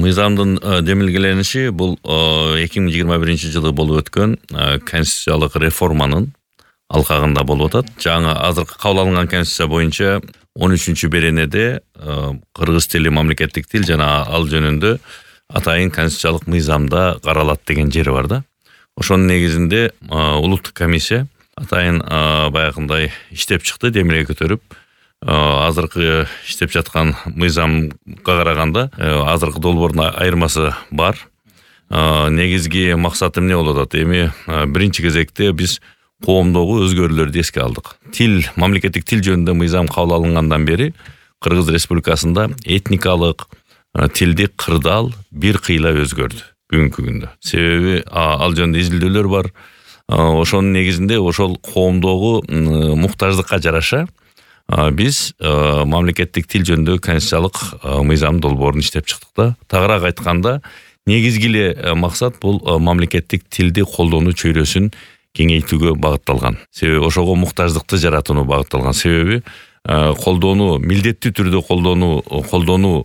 Мыйзамдын демилгелениши бул 2021-жылы болуп өткөн конституциялык реформанын алкагында болуп атат. Жаңы азыркы кабыл алынган конституция боюнча 13-беренеде кыргыз тили мамлекеттик тил жана ал жөнүндө атайын конституциялык мыйзамда каралат деген жери бар да. Ошонун негизинде улуттук комиссия атайын баягындай иштеп чыкты, демилге көтөрүп, азыркы иштеп жаткан мыйзамга караганда азыркы долбоордун айырмасы бар. Негизги максаты эмне болуп атат? Эми биринчи кезекте биз коомдогу өзгөрүүлөрдү эске алдык. Мамлекеттик тил жөнүндө мыйзам кабыл алынгандан бери Кыргыз Республикасында этникалык тилди кырдаал бир кыйла өзгөрдү бүгүнкү күндө. Себеби ал жөнүндө изилдөөлөр бар. Ошонун негизинде ошол коомдогу муктаждыкка жараша биз мамлекеттик тил жөнүндө конституциялык мыйзам долбоорун иштеп чыктык да. Тагыраак айтканда, негизги эле максат бул мамлекеттик тилди колдонуу чөйрөсүн кеңейтүүгө багытталган. Себеби ошого муктаждыкты жаратууга багытталган. Себеби колдонуу, милдеттүү түрдө колдонуу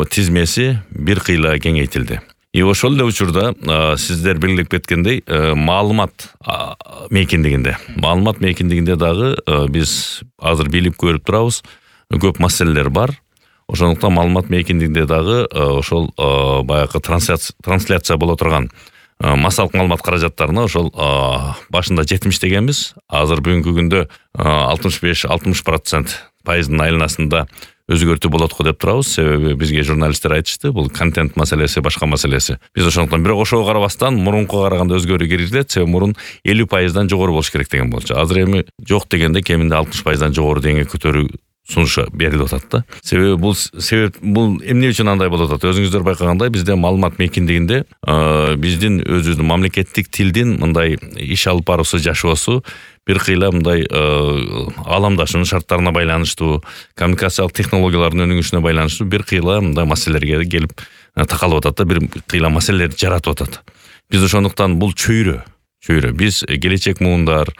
тизмеси бир кыйла кеңейтилди. Ошол эле учурда сиздер белгилеп кеткендей, маалымат мейкиндигинде дагы биз азыр билип көрүп турабыз, көп маселелер бар. Ошондуктан маалымат мейкиндигинде дагы ошол баягы трансляция боло турган массалык маалымат каражаттарына ошол башында 70 дегенбиз, азыр бүгүнкү күндө 65-60% пайыздын айланасында өзгөртүү болот го деп турабыз. Себеби бизге журналисттер айтышты, бул контент маселеси, башка маселеси. Биз ошондуктан бирок ошого карабастан мурункуга караганда өзгөрүү киргизилет. Себеби мурун 50%дан жогору болуш керек деген болчу. Азыр эми жок дегенде кеминде 60%дан жогору деңгээлге көтөрүү сунушу берилип атат да. Себеби бул эмне үчүн андай болуп атат? Өзүңүздөр байкагандай, бизде маалымат мейкиндигинде биздин өзүбүздүн мамлекеттик тилдин мындай иш алып баруусу, жашоосу бир кыйла мындай ааламдашуунун шарттарына байланыштуу, коммуникациялык технологиялардын өнүгүшүнө байланыштуу бир кыйла мындай маселелерге келип такалып атат да, бир кыйла маселелерди жаратып атат. Биз ошондуктан бул чөйрө. Биз келечек муундар,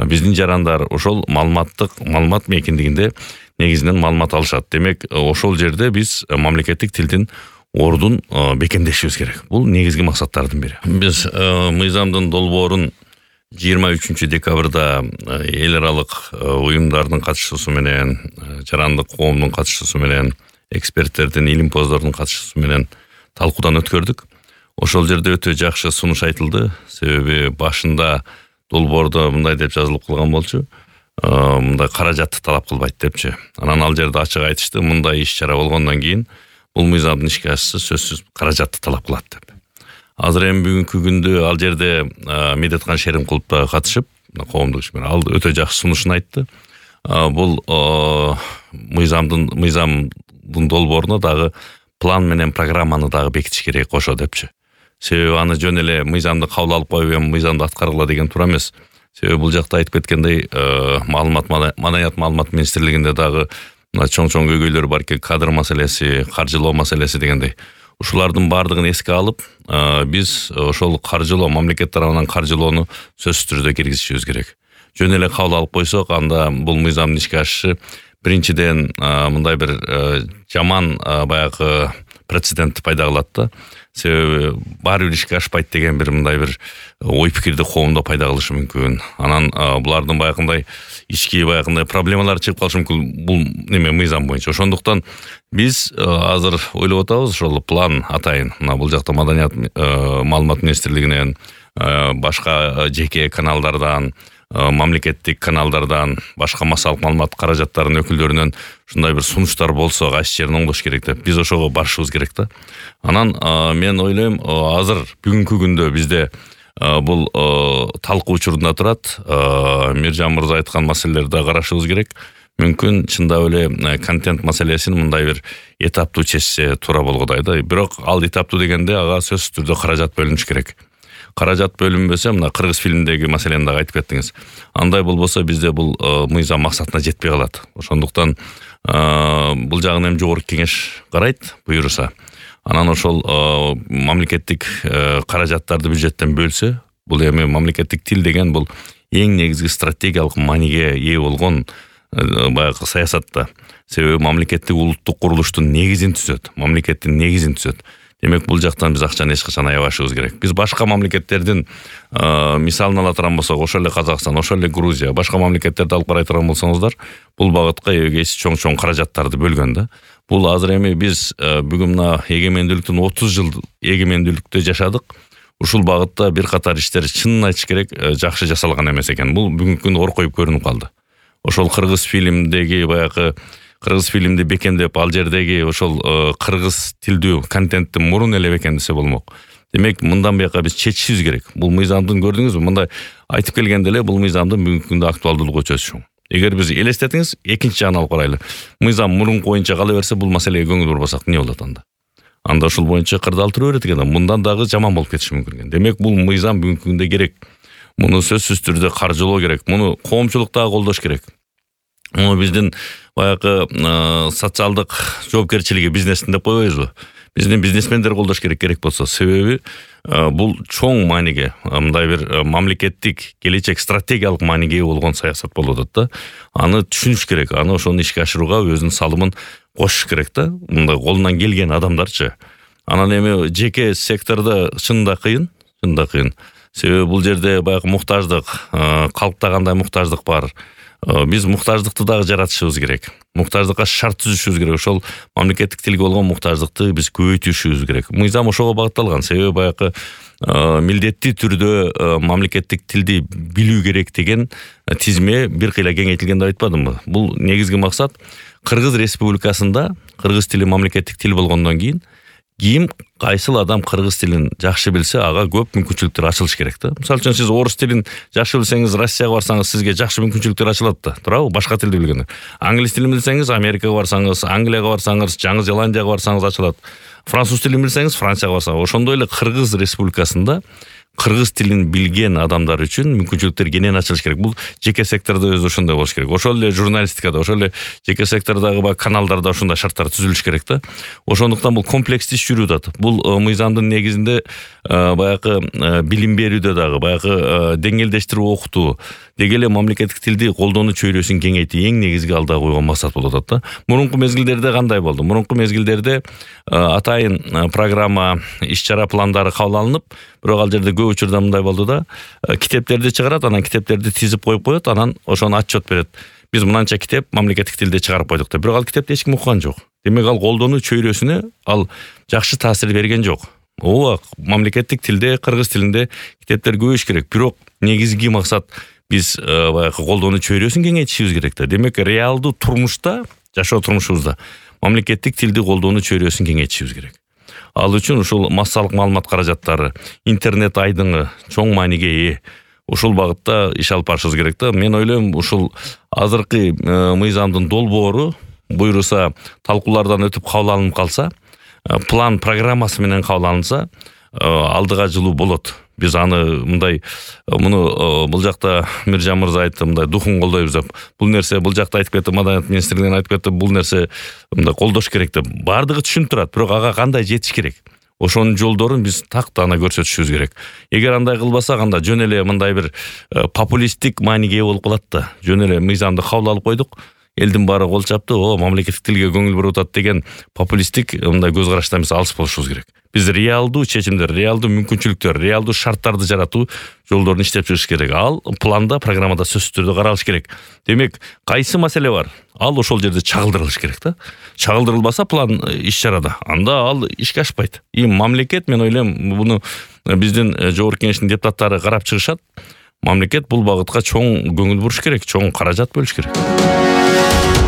биздин жарандар ошол маалымат мейкиндигинде негизинен маалымат алышат. Демек, ошол жерде биз мамлекеттик тилдин ордун бекемдешибиз керек. Бул негизги максаттардын бири. Биз мыйзамдын долбоорун 23 декабрда эл аралык уюмдардын катышуусу менен, жарандык коомдун катышуусу менен, эксперттердин, илимпоздордун катышуусу менен талкуудан өткөрдүк. Ошол жерде өтө жакшы сунуш айтылды. Себеби башында долбоордо мындай деп жазылып калган болчу. Мындай каражатты талап кылбайт депчи. Анан ал жерде ачык айтышты, мындай иш-чара болгондон кийин бул мыйзамдын ишке ашышы сөзсүз каражатты талап кылат деп. Азыр эми бүгүнкү күндө ал жерде Медеткан Шеримкулов да катышып, коомдук ишмер, ал өтө жакшы сунушун айтты. Бул мыйзамдын долбооруна дагы план менен программаны дагы бекитиш керек кошо депчи. Себеби аны жөн эле мыйзамды кабыл алып коюп эми мыйзамды аткаргыла деген туура эмес. Себеби бул жакта айтып кеткендей, маданият маалымат министрлигинде дагы чоң көйгөйлөр бар экен, кадр маселеси, каржылоо маселеси дегендей. Ушулардын баардыгын эске алып, биз ошол каржылоо, мамлекет тарабынан каржылоону сөзсүз түрдө киргизишибиз керек. Жөн эле кабыл алып койсок, анда бул мыйзамдын ишке ашышы биринчиден мындай бир жаман баягы прецедент пайда кылат да. Себеби баары бир ишке ашпайт деген бир мындай бир ой пикирди коомдо пайда кылышы мүмкүн. Анан булардын баягындай ички проблемалар чыгып калышы мүмкүн бул мыйзам боюнча. Ошондуктан биз азыр ойлоп атабыз, ошол план атайын. Бул жакта маданият маалымат министрлигинен, башка жеке каналдардан, мамлекеттик каналдардан, башка массалык маалымат каражаттарынын өкүлдөрүнөн ушундай бир сунуштар болсо, кайсы жерин оңдош керек деп, биз ошого барышыбыз керек да. Анан мен ойлойм, азыр бүгүнкү күндө бизде бул талкуу учурунда турат. Миржан мырза айткан маселелерди карашыбыз керек. Мүмкүн чындап эле контент маселесин мындай бир этаптуу чечсе туура болгодай да. Бирок ал этаптуу дегенде ага сөзсүз түрдө каражат бөлүнүш керек. Каражат бөлүнбөсө, мына кыргыз фильминдеги маселени дагы айтып кеттиңиз. Андай болбосо бизде бул мыйзам максатына жетпей калат. Ошондуктан бул жагын эми жогорку кеңеш карайт, буйруса. Анан ошол мамлекеттик каражаттарды бюджеттен бөлсө, бул эми мамлекеттик тил деген бул эң негизги стратегиялык мааниге ээ болгон баягы саясатта. Себеби мамлекеттик улуттук курулуштун негизин түзөт, мамлекеттин негизин түзөт. Демек бул жактан биз акчаны эч качан аябашыбыз керек. Биз башка мамлекеттердин мисалын ала турган болсок, ошол эле Казакстан, ошол эле Грузия, башка мамлекеттерди алып карай турган болсоңуздар, бул багытка эбегейсиз чоң каражаттарды бөлгөн да. Бул азыр эми биз бүгүн мына эгемендүүлүктүн 30 жыл эгемендүүлүктө жашадык. Ушул багытта бир катар иштер чынын айтыш керек, жакшы жасалган эмес экен. Бул бүгүнкү күндө оркоюп көрүнүп калды. Ошол кыргыз фильмдеги баягы кыргыз фильмди бекемдеп, ал жердеги ошол кыргыз тилдүү контентти мурун эле бекемдесе болмок. Демек, мындан бияка биз чечишибиз керек. Бул мыйзамдын көрдүңүзбү? Мындай айтып келгенде эле бул мыйзамдын бүгүнкү күндө актуалдуулугу чөчүшүң. Эгер биз элестетиңиз, экинчи жагын алып карайлы. Мыйзам мурунку боюнча кала берсе, бул маселеге көңүл бурбасак эмне болот анда? Анда ушул боюнча кырдаал тура берет экен, мындан дагы жаман болуп кетиши мүмкүн экен. Демек, бул мыйзам бүгүнкү күндө керек. Муну сөзсүз түрдө каржылоо керек. Муну коомчулук дагы колдош керек. Муну биздин баягы социалдык жоопкерчилиги бизнестин деп койбойбузбу? Биздин бизнесмендер колдош керек болсо. Себеби бул чоң мааниге, мындай бир мамлекеттик келечек стратегиялык мааниге болгон саясат болуп атат да. Аны түшүнүш керек, аны ошону ишке ашырууга өзүнүн салымын кошуш керек да. Мындай колунан келген адамдарчы. Анан эми жеке сектордо чынында кыйын. Себеби бул жерде баягы муктаждык, калкта кандай муктаждык бар. Биз муктаждыкты дагы жаратышыбыз керек. Муктаждыкка шарт түзүшүбүз керек. Ошол мамлекеттик тилге болгон муктаждыкты биз көбөйтүшүбүз керек. Мыйзам ошого багытталган. Себеби баягы милдеттүү түрдө мамлекеттик тилди билүү керек деген тизме бир кыйла кеңейтилген деп айтпадымбы? Бул негизги максат Кыргыз Республикасында кыргыз тили мамлекеттик тил болгондон кийин кайсыл адам кыргыз тилин жакшы билсе, ага көп мүмкүнчүлүктөр ачылыш керек да. Мисалы үчүн сиз орус тилин жакшы билсеңиз, Россияга барсаңыз, сизге жакшы мүмкүнчүлүктөр ачылат да. Туурабы? Башка тилди билгенде. Англис тилин билсеңиз, Америкага барсаңыз, Англияга барсаңыз, Жаңы Зеландияга барсаңыз ачылат. Француз тилин билсеңиз, Францияга барсаңыз. Ошондой эле Кыргыз Республикасында кыргыз тилин билген адамдар үчүн мүмкүнчүлүктөр кенен ачылыш керек. Бул жеке сектордо өзү ошондой болуш керек. Ошол эле журналистикада, ошол эле жеке сектордогу каналдарда ошондой шарттар түзүлүш керек да. Ошондуктан бул комплекстүү иш жүрүп атат. Бул мыйзамдын негизинде баягы билим берүүдө дагы, баягы деңгээлдештирип окутуу, деги эле мамлекеттик тилди колдонуу чөйрөсүн кеңейтүү эң негизги алда койгон максат болуп атат да. Мурунку мезгилдерде кандай болду? Мурунку мезгилдерде атайын программа, иш-чара пландары кабыл алынып, бирок ал жерде көп учурда мындай болду да, китептерди чыгарат, анан китептерди тизип коет, анан ошону отчет берет. Биз мынанча китеп мамлекеттик тилде чыгарып койдук деп. Бирок ал китепти эч ким уккан жок. Демек, ал колдонуу чөйрөсүнө ал жакшы таасир берген жок. Ооба, мамлекеттик тилде, кыргыз тилинде китептер көбөйүш керек. Бирок негизги максат биз баягы колдонуу чөйрөсүн кеңейтишибиз керек да. Демек, реалдуу турмушта, жашоо турмушубузда мамлекеттик тилди колдонуу чөйрөсүн кеңейтишибиз керек. Ал үчүн ушул массалык маалымат каражаттары, интернет айдыңы чоң мааниге ээ. Ушул багытта иш алып барышыбыз керек да. Мен ойлойм, ушул азыркы мыйзамдын долбоору буйруса талкуулардан өтүп кабыл алынып калса, план программасы менен кабыл алынса, алдыга жылуу болот. Биз аны мындай бул жакта Миржан мырза айтты, мындай духун колдойбуз деп. Бул нерсе бул жакта айтып кетти, Маданият министрлигинен айтып кетти, бул нерсе мындай колдош керек деп. Бардыгы түшүнүп турат, бирок ага кандай жетиш керек? Ошонун жолдорун биз тактана көрсөтүшүбүз керек. Эгер андай кылбасак, анда жөн эле мындай бир популисттик мааниге болуп калат да. Жөн эле мыйзамды кабыл алып койдук, элдин баары кол чапты, мамлекеттик тилге көңүл буруп атат деген популисттик мындай көз караштан биз алыс болушубуз керек. Биз реалдуу чечимдер, реалдуу мүмкүнчүлүктөр, реалдуу шарттарды жаратуу жолдорун иштеп чыгыш керек. Ал планда, программада сөзсүз түрдө каралыш керек. Демек, кайсы маселе бар? Ал ошол жерде чагылдырылыш керек да. Чагылдырылбаса план иш-чарада, анда ал ишке ашпайт. Мамлекет, мен ойлойм, буну биздин жогорку кеңештин депутаттары карап чыгышат. Мамлекет бул багытка чоң көңүл буруш керек, чоң каражат бөлүш керек.